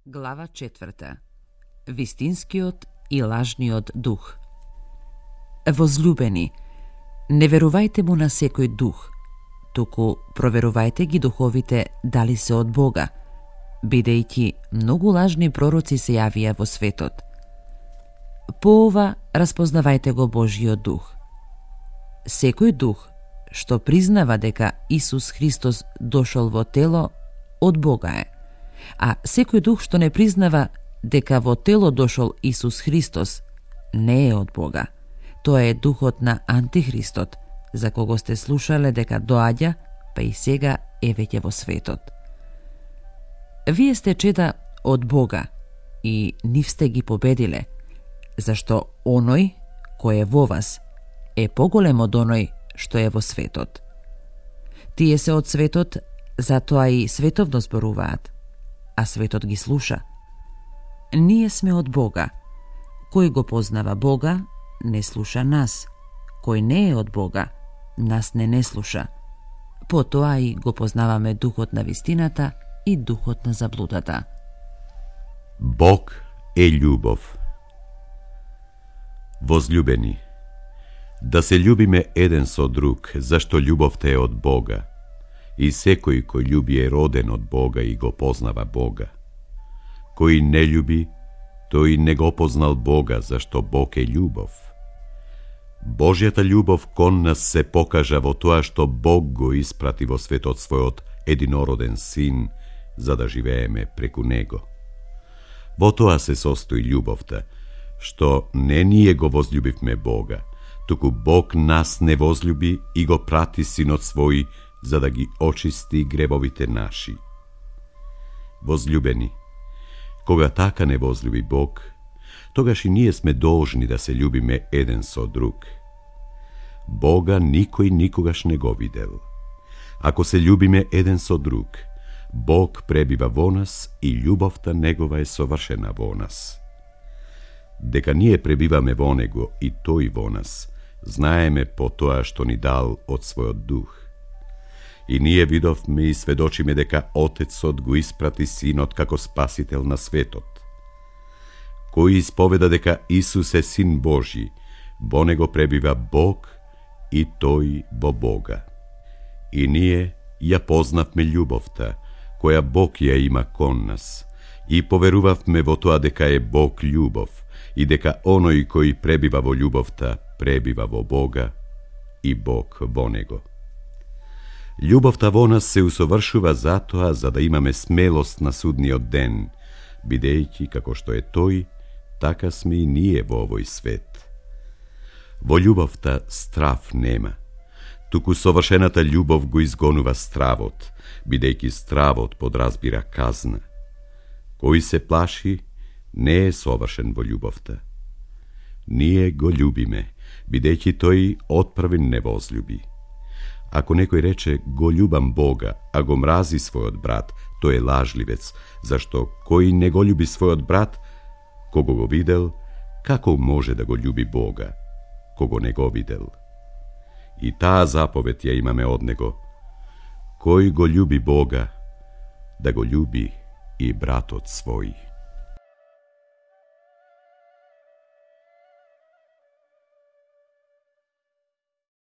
Глава 4. Вистинскиот и лажниот дух. Возлюбени, не верувајте му на секој дух, туку проверувајте ги духовите дали се од Бога, бидејќи многу лажни пророци се јавија во светот. По ова распознавајте го Божиот дух. Секој дух што признава дека Исус Христос дошол во тело, од Бога е, а секој дух што не признава дека во тело дошол Исус Христос, не е од Бога. Тоа е духот на Антихристот, за кого сте слушале дека доаѓа, па и сега е веќе во светот. Вие сте чеда од Бога и нив сте ги победиле, зашто оној кој е во вас е поголем од оној што е во светот. Тие се од светот, затоа и световно зборуваат, а светот ги слуша. Ние сме од Бога. Кој го познава Бога, не слуша нас. Кој не е од Бога, нас не слуша. Потоа и го познаваме духот на вистината и духот на заблудата. Бог е љубов. Возлюбени, да се љубиме еден со друг, зашто љубовта е од Бога. И секој кој љуби е роден од Бога и го познава Бога. Кој не љуби, тој не го познал Бога, зашто Бог е љубов. Божјата љубов кон нас се покажа во тоа што Бог го испрати во светот својот единороден син, за да живееме преку него. Во тоа се состои љубовта, што не ние го возлюбивме Бога, туку Бог нас не возлюби и го прати синот свој, за да ги очисти гребовите наши. Возлюбени, кога така не возлюби Бог, тогаш и ние сме должни да се љубиме еден со друг. Бога никој никогаш не го видел. Ако се љубиме еден со друг, Бог пребива во нас и љубовта негова е совршена во нас. Дека ние пребиваме во него и тој во нас, знаеме по тоа што ни дал од својот дух. И ние видовме и сведочиме дека Отецот го испрати Синот како Спасител на светот. Кој исповеда дека Исус е Син Божи, во него пребива Бог и тој во Бога. И ние ја познавме љубовта, која Бог ја има кон нас, и поверувавме во тоа дека е Бог љубов, и дека оној кој пребива во љубовта, пребива во Бога и Бог во него. Љубовта во нас се усовршува затоа за да имаме смелост на судниот ден, бидејќи како што е тој, така сме и ние во овој свет. Во љубовта страв нема, туку совршената љубов го изгонува стравот, бидејќи стравот подразбира казна. Кој се плаши, не е совршен во љубовта. Ние го љубиме, бидејќи тој отпрвен не возлюби. Ако некој рече го љубам Бога, а го мрази својот брат, тој е лажливец, зашто кој не го љуби својот брат, кого го видел, како може да го љуби Бога, кого не го видел? И таа заповед ја имаме од него: кој го љуби Бога, да го љуби и братот свој.